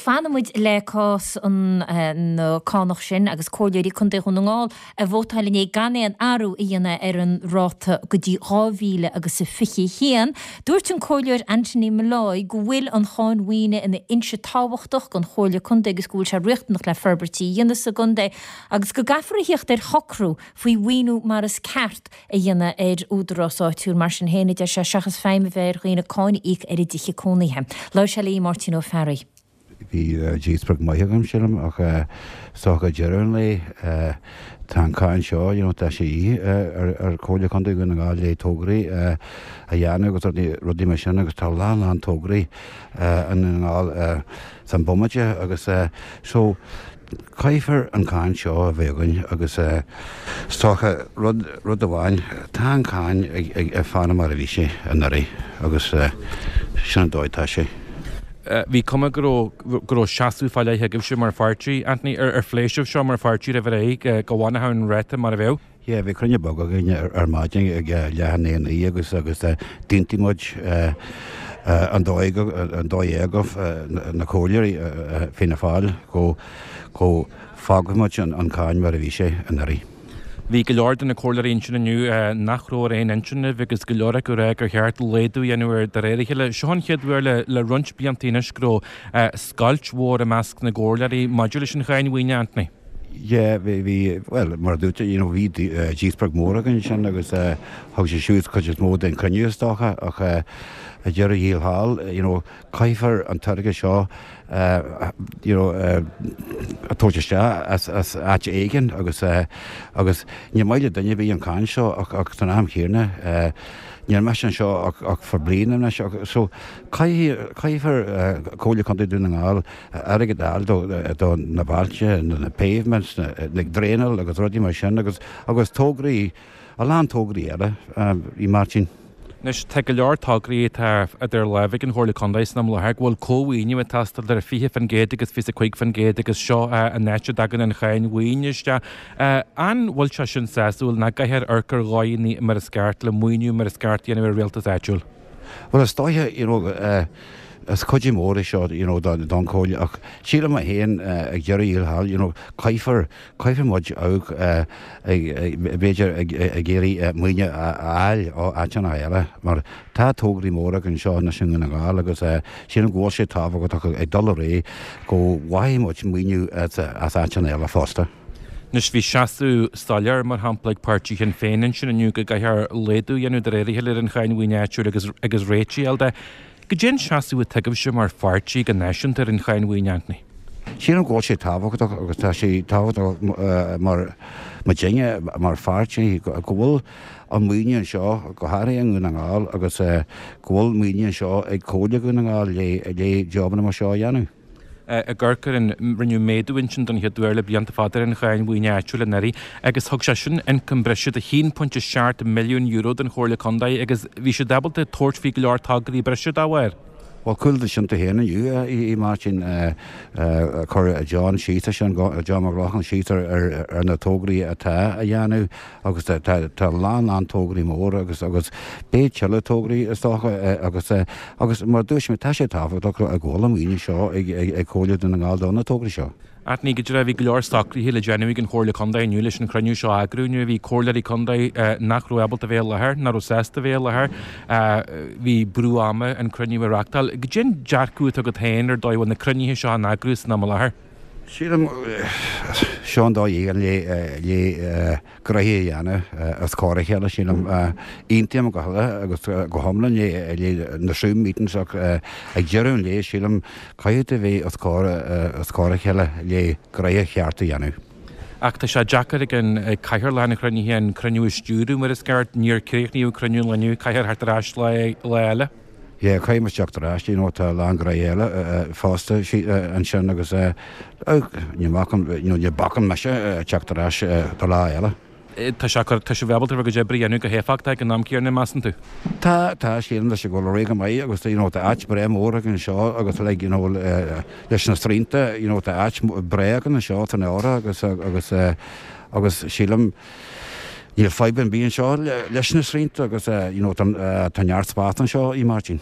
Fanfaidh muid le cás an na cánach sin agus Comhairleoirí Contae Dhún na nGall a vótáil inné gan aon athrú a dhéanamh ar an ráta go dtí 2021. Dúirt an Comhairleoir Anthony Molloy go bhfuil an cháin mhaoine ina fhoinse tábhachtach don Chomhairle Contae agus go bhfuil sé riachtanach le forbairtí a dhéanamh sa gcontae agus go gcaithfear a thíocht ar shocrú faoi mhaoiniú mar is ceart a dhéanamh ar údarás áitiúil. Mar sin féin, a deir sé, seachas feidhm a bheith ar dhaoine cáin a íoc ar a dtithe cónaithe. Labhair sé le Máirtín Ó Fearraigh. Bhí díospóireacht maith agam, sílim, ach is dócha ag deireadh an lae, tá an cáin seo, you know, tá sé de dhíth ar Chomhairle Contae Dhún na nGall le tograí a dhéanamh agus rudaí mar sin agus tá a lán, lán tograí i nDún na nGall san bomaite agus so Caithfear an cáin seo a bheith againn agus is dócha rud, rud amháin, tá an cáin ag fanacht mar a bhí sé anuraidh agus sin an dóigh atá sé. Bhí cuma go raibh, go raibh seasamh fá leith agaibhse mar pháirtí, Anthony. Ar phléigh sibh seo mar pháirtí roimh ré, go bhfanfadh an ráta mar a bheadh? Yeah, bhí cruinniú beag againn ar maidin ag leath i ndiaidh a 9 agus agus d'aontaigh muid an dóigh an dóigh agaibh na comhairleoirí Fianna Fáil go go bhfágfaidh muid an cáin mar a bhí sé anuraidh. Bhí go leor de na comhairleoirí ansin inniu nach raibh ar aon intinn libh agus go leor acu ag rá gur cheart laghdú a dhéanamh air de réir a chéile. Seo an chéad uair le le roinnt blianta anois go raibh scoilt mhór i measc na gcomhairleoirí maidir leis an cháin mhaoine, Anthony. Yeah, bhí, bhí, bhuel, mar a dúirt, you know, bhí díospóireacht mhór againn ansin agus thug sé suas cuid is mó den chruinniú is dócha ach ag deireadh thiar thall, you know, caithfear an t-airgead seo, you know, a tabhairt isteach as, as áit éigin agus, agus ní maith le duine ar bith an cháin seo ach, ach san am chéanna, níl mise anseo ach, ach fá bliain anois ach so caithfidh, caithfear Comhairle Contae Dún na nGall airgead a fháil do na bailte, na pavements, na draenáil agus rudaí mar sin agus agus tograí, a lán tograí eile, a Mháirtín. Anois, tá go leor tograí atá idir lámha ag an Chomhairle Contae san am i láthair go bhfuil cómhaoiniú ag teastáil idir 20% agus 25% agus seo an áit a dtagann an cháin mhaoine isteach. An bhfuil sé sin sásúil nach gcaithfear amharc ar dhóigheanna mar is ceart le maoiniú mar is ceart a dhéanamh ar rialtas áitiúil? Bhuel, is dóiche, you know, is cuidiú mór é seo, you know, don Chomhairle ach sílim mé féin ag deireadh thiar thall, you know, caithfear, caithfidh muid amharc b'fhéidir ag iarraidh maoiniú a fháil ó áiteanna eile mar tá tograí móra againn anseo anois i nDún na nGall agus sílim go bhfuil sé tábhachtach ag dul ar aghaidh go bhfaighidh muid maoiniú as áiteanna eile fosta. Anois bhí seasamh soiléir, mar shampla, ag páirtí Shinn Féin ansin inniu go gcaithfear laghdú a dhéanamh de réir a chéile ar an cháin mhaoine áitiúil agus agus réitigh a fháil de. Goidé an seasamh atá agaibhse mar pháirtí go náisiúnta ar an cháin mhaoine, Anthony? Sílim go bhfuil sé tábhachtach agus tá sé tábhachtach mar muidinne mar pháirtí go bhfuil an maoiniú anseo, go háirithe i nDún na nGall agus go bhfuil maoiniú anseo ag Comhairle Dhún na nGall le le jobanna mar seo a dhéanamh. I gCorcaigh, rinneadh méadú ansin don chéad uair le blianta fada ar an cháin mhaoine áitiúil anuraidh agus thug sé sin ioncam breise de €1.7 milliún don Chomhairle Contae agus bhí siad ábalta tabhairt faoi go leor tograí breise dá bharr. Bhuel, chuala tú sin tú féin inniu, a Mháirtín, chuir John síos ar sin, John Mac Lochlainn síos ar na tograí atá á dhéanamh agus tá a lán lán tograí mór agus agus beidh tuilleadh tograí is dócha agus agus mar a dúirt mé tá sé tábhachtach go bhfuil an maoiniú seo ag ag Comhairle Dhún na nGall do na tograí seo. Anthony, go deimhin bhí go leor socruithe le déanamh ag an Chomhairle Contae inniu leis an chruinniú seo a eagrú inniu. Bhí comhairleoirí contae nach raibh ábalta bheith i láthair, nach raibh sásta bheith i láthair. Bhí brú ama an cruinniú a reachtáil. Goidé an dearcadh atá agat féin ar dóigh a bhfuil na cruinnithe seo á n-eagrú san am i láthair? Sílim, seo an dóigh le le gnoithe a dhéanamh os comhair a chéile, sílim. Aontaím go huile agus go hiomlán le le na Zoom meetings ach ag deireadh an lae, sílim, caithfidh tú bheith os comhair os comhair a chéile le gnoithe cheart a dhéanamh. Ach tá sé deacair ag an ag cathaoirleach an chruinnithe an cruinniú a stiúradh mar is ceart. Níor críochnaíodh cruinniú an lae inniu, caithfear theacht ar ais lá lá eile. Yeah, caithfidh muid teacht ar ais, you know, tá a lán gnoithe eile fosta ansin agus ní bhacaim, you know, ní bhacaim mise teacht ar ais do lá eile. Tá sé, tá sibh ábalta bhur gcuid oibre a dhéanamh go héifeachtach ag an am céanna, measann tú? Tá, tá, sílim, tá sé ag dul ar aghaidh go maith agus, you know, tá áit breá mór againn anseo agus like, you know, leis na srianta, you know, tá áit breá againn anseo san Aura agus, agus, agus sílim, Níl fadhb ar bith anseo leis na srianta agus you know tá neart spás anseo, a Mháirtín.